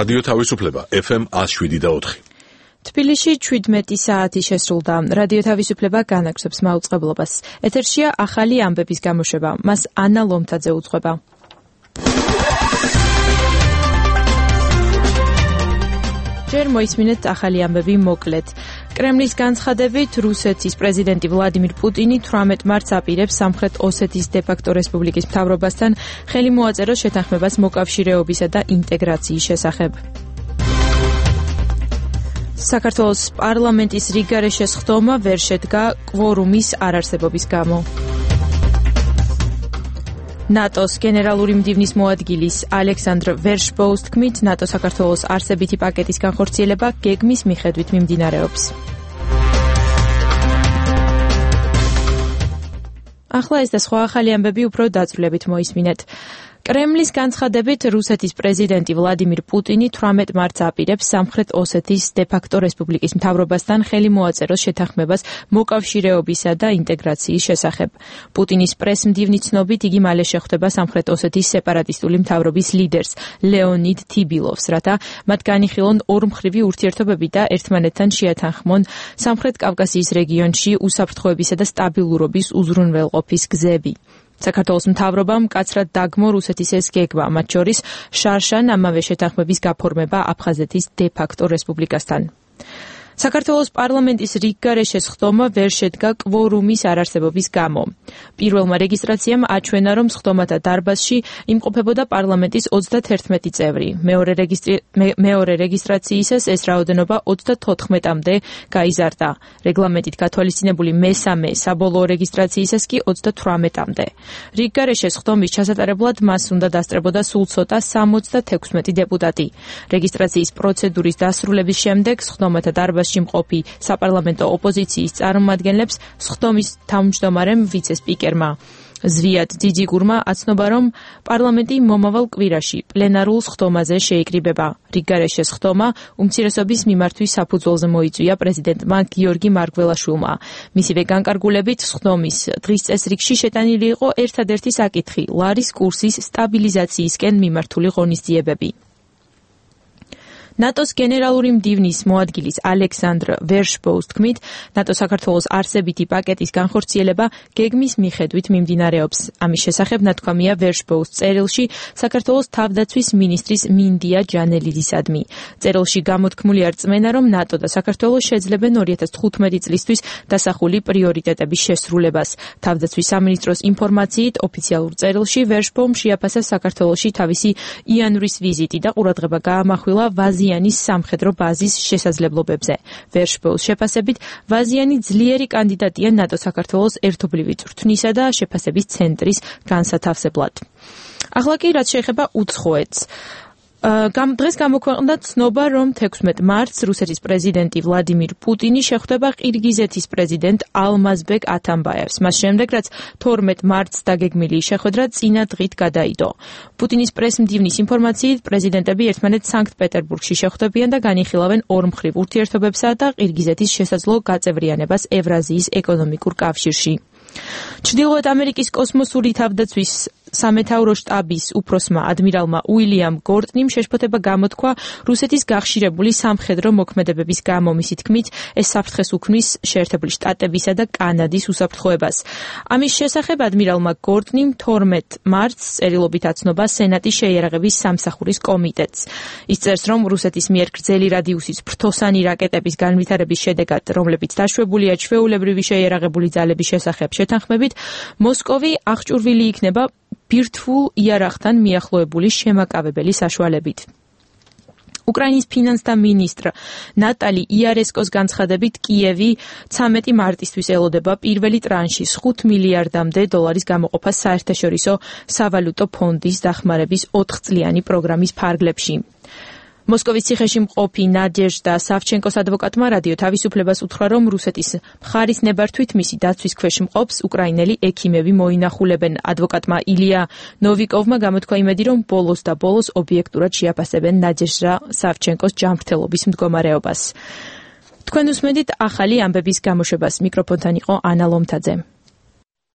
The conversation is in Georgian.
რადიო თავისუფლება FM 107.4. თბილისში 17 საათი შესრულდა. რადიო თავისუფლება განაგრძობს მაუწყებლობას. ეთერშია ახალი ამბების გამოშვება. მას ანა ლომთაძე უძღვება. ჯერ მოისმინეთ ახალი ამბები მოკლედ. კრემლის განცხადებით, რუსეთის პრეზიდენტი ვლადიმირ პუტინი 18 მარტს აპირებს სამხრეთ ოსეთის დე-ფაქტო რესპუბლიკის მთავრობასთან ხელი მოაწეროს შეთანხმებას მოკავშირეობისა და ინტეგრაციის შესახებ. საქართველოს პარლამენტის რიგგარეშეს ხდომა ვერ შედგა კვორუმის არარსებობის გამო. ნატოს გენერალური მდივნის მოადგილის ალექსანდრ ვერშბოუს თქმით, ნატო საქართველოს არსებითი პაკეტის განხორციელება გეგმის მიხედვით მიმდინარეობს. ახლა ეს და სხვა ახალი ამბები უფრო დაწვრილებით მოისმინეთ. კრემლის განცხადებით, რუსეთის პრეზიდენტი ვლადიმირ პუტინი 18 მარტს აპირებს სამხრეთ ოსეთის დე-ფაქტო რესპუბლიკის მთავრობასთან ხელი მოაწეროს შეთანხმებას მოკავშირეობისა და ინტეგრაციის შესახებ. პუტინის პრესმდივნის ცნობით, იგი მალე შეხვდება სამხრეთ ოსეთის სეპარატისტული მთავრობის ლიდერს ლეონიდ თიბილოვს, რათა მათ განიხილონ ორმხრივი ურთიერთობები და ერთმანეთთან შეათანხმონ სამხრეთ კავკასიის რეგიონში უსაფრთხოებისა და სტაბილურობის უზრუნველყოფის გზები. საქართველოს მთავრობამ მკაცრად დაგმო რუსეთის ეს გეგმა, მათ შორის შარშან ამავე შეთანხმების გაფორმება აფხაზეთის დე-ფაქტო რესპუბლიკასთან. საქართველოს პარლამენტის რიგგარეშეს ხდომა ვერ შედგა კვორუმის არარსებობის გამო. პირველმა რეგისტრაციამ აჩვენა, რომ ხდომათა დარბაზში იმყოფებოდა პარლამენტის 31 წევრი. მეორე რეგისტრაციისას ეს რაოდენობა 34-მდე გაიზარდა. რეგლამენტით გათვალისწინებული მესამე საბოლოო რეგისტრაციისას კი 38-მდე. რიგგარეშეს ხდომის ჩასატარებლად მას უნდა დასწრებოდა სულ ცოტა 76 დეპუტატი. რეგისტრაციის პროცედურის დასრულების შემდეგ ხდომათა დარბაზში მყოფი საპარლამენტო ოპოზიციის წარმომადგენლებს სხდომის თავმჯდომარემ ვიცე-სპიკერმა ზვიად ძიძიგურმა აცნობა, რომ პარლამენტი მომავალ კვირაში პლენარულ სხდომაზე შეიკრიბება. რიგგარეშეს ხდომა უმცირესობის მიმართვის საფუძველზე მოიწვია პრეზიდენტმა გიორგი მარგველაშვილმა. მისივე განკარგულებით სხდომის დღის წესრიგში შეტანილი იყო ერთადერთი საკითხი ლარის კურსის სტაბილიზაციისკენ მიმართული ღონისძიებები. ნატოს გენერალური მდივნის მოადგილის ალექსანდრ ვერშბოუს თქმით, ნატო საქართველოს არსებითი პაკეტის განხორციელება გეგმის მიხედვით მიმდინარეობს. ამის შესახებ ნათქვამია ვერშბოუს წერილში საქართველოს თავდაცვის მინისტრის მინდია ჯანელიდისადმი. წერილში გამოთქმულია რწმენა, რომ ნატო და საქართველო შეძლებენ 2015 წლისთვის დასახული პრიორიტეტების შესრულებას. თავდაცვის სამინისტროს ინფორმაციით, ოფიციალურ წერილში ვერშბოუმ შეაფასა საქართველოში თავისი იანვრის ვიზიტი და ყურადღება გაამახვილა ვაზიანის სამხედრო ბაზის შესაძლებლობებზე. ვერშბოუს შეფასებით, ვაზიანი ძლიერი კანდიდატია ნატო-საქართველოს ერთობლივი წვრთნისა და შეფასების ცენტრის განსათავსებლად. ახლა კი რაც შეეხება უცხოეთს. დღეს გამოქვეყნდა ცნობა, რომ 16 მარტს რუსეთის პრეზიდენტი ვლადიმირ პუტინი შეხვდება ყირგიზეთის პრეზიდენტ ალმაზბეკ ათამბაევს. მას შემდეგ, რაც 12 მარტს დაგეგმილი შეხვედრა წინა დღით გადაიდო. პუტინის პრესმდივნის ინფორმაციით, პრეზიდენტები ერთმანეთს სანქტ-პეტერბურგში შეხვდებიან და განიხილავენ ორმხრივ ურთიერთობებსა და ყირგიზეთის შესაძლო გაწევრიანებას ევრაზიის ეკონომიკურ კავშირში. ჩრდილოეთ ამერიკის კოსმოსური თავდაცვის სამეთაურო შტაბის უფროსმა ადმირალმა უილიამ გორტნიმ შეშფოთება გამოთქვა რუსეთის გახშირებული სამხედრო მოქმედებების გამო. მისი თქმით, ეს საფრთხეს უქმნის შეერთებული შტატებისა და კანადის უსაფრთხოებას. ამის შესახებ ადმირალმა გორტნიმ 12 მარტს წერილობით აცნობა სენატის შეიარაღების სამსახურის კომიტეტს. ის წერს, რომ რუსეთის მიერ გრძელი რადიუსის ფრთოსანი რაკეტების განვითარების შედეგად, რომლებიც დაშვებულია ჩვეულებრივი შეიარაღებული ძალების შესახებ შეთანხმებით, მოსკოვი აღჭურვილი იქნება ბირთვულ იარაღთან მიახლოებული შემაკავებელი საშუალებით. უკრაინის ფინანსთა მინისტრ ნატალი იარესკოს განცხადებით, კიევი 13 მარტისთვის ელოდება პირველი ტრანშის 5 მილიარდამდე დოლარის გამოყოფას საერთაშორისო სავალუტო ფონდის დახმარების 4 წლიანი პროგრამის ფარგლებში. მოსკოვის ციხეში მყოფი ნადეჟდა სავჩენკოს ადვოკატმა რადიო თავისუფლებას უთხრა, რომ რუსეთის მხარის ნებართვით მისი დაცვის ქვეშ მყოფს უკრაინელი ექიმები მოინახულებენ. ადვოკატმა ილია ნოვიკოვმა გამოთქვა იმედი, რომ ბოლოს და ბოლოს ობიექტურად შეაფასებენ ნადეჟდა სავჩენკოს ჯანმრთელობის მდგომარეობას. თქვენ უსმენთ ახალი ამბების გამოშვებას. მიკროფონთან იყო ანა ლომთაძე.